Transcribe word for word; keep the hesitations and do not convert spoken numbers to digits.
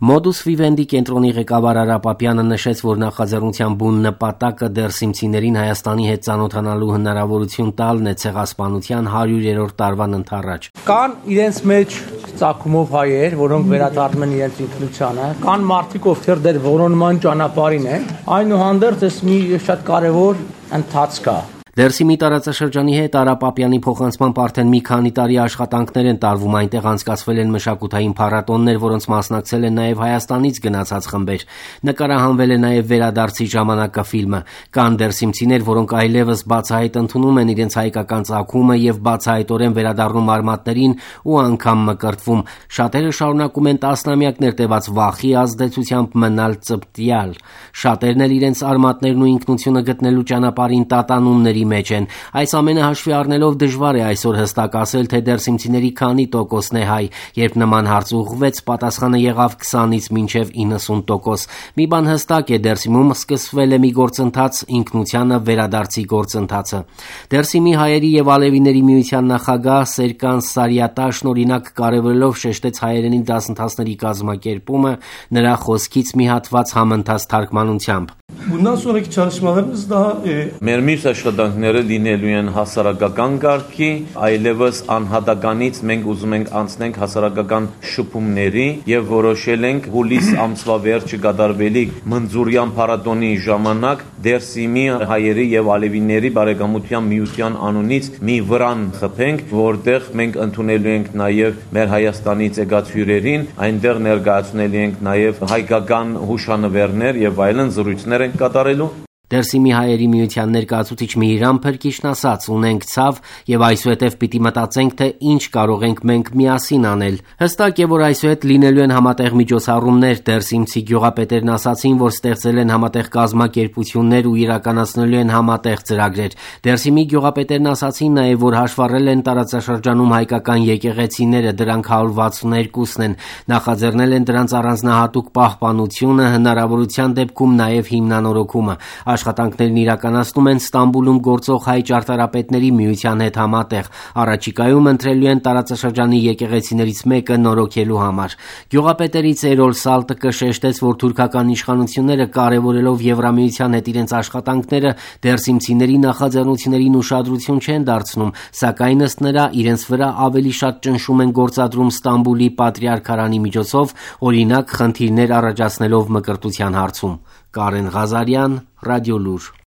Modus Vivendi կենտրոնի ղեկավար Արա Պապյանը նշեց, որ նախաձեռնության բուն նպատակը դերսիմցիներին Հայաստանի հետ ծանոթանալու հնարավորություն տալն է ցեղասպանության հարյուրերորդ տարվան ընթառաջ։ Կան իրենց մեջ ծագումով հայեր, որոնք վերադառնում են իրենց ինքնությանը, կան մարդիկ, ովքեր դեռ որոնման ճանապարհին են, այնուհանդերձ այս մի շատ կարևոր ընթացք է։ Դերսիմի տարածաշրջանի հետ Արա Պապյանի փոխանցմամբ արդեն մի քանի տարի աշխատանքներ են տարվում, այնտեղ անցկացվել են մշակութային փառատոններ, որոնց մասնակցել են նաև Հայաստանից գնացած խմբեր։ Նկարահանվել է նաև վերադարձի ժամանակաֆիլմը։ Կան դերսիմցիներ, որոնք այլևս բացահայտ ընդունում են իրենց հայկական ծագումը եւ բացահայտորեն վերադառնում արմատներին ու անգամ մկրտվում։ Շատերը շարունակում են տասնամյակներ տևած վախի ազդեցությամբ մնալ ծպտյալ։ Շատերն էլ իրենց արմատներն ու ինքնությունը գտնելու ճանապարհին տատանումների մեջ են։ Այս ամենը հաշվի առնելով դժվար է այսօր հստակ ասել, թե դերսիմցիների քանի տոկոսն է հայ։ Երբ նման հարց ուղղվեց, պատասխանը եղավ քսանից մինչև իննսուն տոկոս։ Մի բան հստակ է, դերսիմում սկսվել է մի գործընթաց, ինքնությանը վերադարձի գործընթացը։ Դերսիմի հայերի եւ ալևիների միության նախագահ Սերկան Սարիատաշն օրինակ կարևորելով շեշտեց հայերենի դասընթացների կազմակերպումը, նրա խոսքից մի հատված համընթաց թարգմանությամբ։ Bundan sonraki çalışmalarımız daha e, մեր մյուս աշխատանքները լինելու են հասարակական կարգի, այլևս անհատականից մենք ուզում ենք անցնենք հասարակական շփումների եւ որոշել ենք հուլիս ամսվա վերջը կատարվելիք մնձուրյան փառատոնի ժամանակ Դերսիմի հայերի եւ ալևիների բարեկամության միության անունից մի վրան խփենք, որտեղ մենք ընդունելու ենք նաեւ մեր Հայաստանից եկած հյուրերին, այնտեղ ներկայացնելու ենք նաեւ հայկական հուշանվերներ եւ այլն զրույցներ ենք կատարելու։ Դերսիմի հայերի միության ներկայացուցիչ Միհիրամ Փրկիչն ասաց. «Ունենք ցավ եւ այսուհետեւ պիտի մտածենք, թե ինչ կարող ենք մենք միասին անել»։ Հստակ է, որ այսուհետ լինելու են համատեղ միջոցառումներ։ Դերսիմցի գյուղապետերն ասացին, որ ստեղծել են համատեղ կազմակերպություններ ու իրականացնելու են համատեղ ծրագրեր։ Դերսիմի գյուղապետերն ասացին նաեւ, որ հաշվառել են տարածաշրջանում հայկական եկեղեցիները, դրանք հարյուր վաթսուններկուսն են, նախաձեռնել են դրանց առանձնահատուկ պահպանությունը, հնարավորության դեպքում նաեւ հիմնանորոգումը։ Աշխատանքներն իրականացնում են Ստամբուլում գործող հայ ճարտարապետների միության հետ համատեղ։ Առաջիկայում ընտրելու են տարածաշրջանի եկեղեցիներից մեկը նորոգելու համար։ Գյուղապետերից Էրոլ Սալտկը շեշտեց, որ թուրքական իշխանությունները կարևորելով Եվրամիության հետ իրենց աշխատանքները դերսիմցիների նախաձեռնություններին ուշադրություն չեն դարձնում, սակայն ըստ նրա իրենց վրա ավելի շատ ճնշում են գործադրում Ստամբուլի պատրիարքարանի միջոցով, օրինակ խնդիրներ առաջացնելով մկրտության հարցում։ Կարեն Ղազարյան, Ռադիոլուր։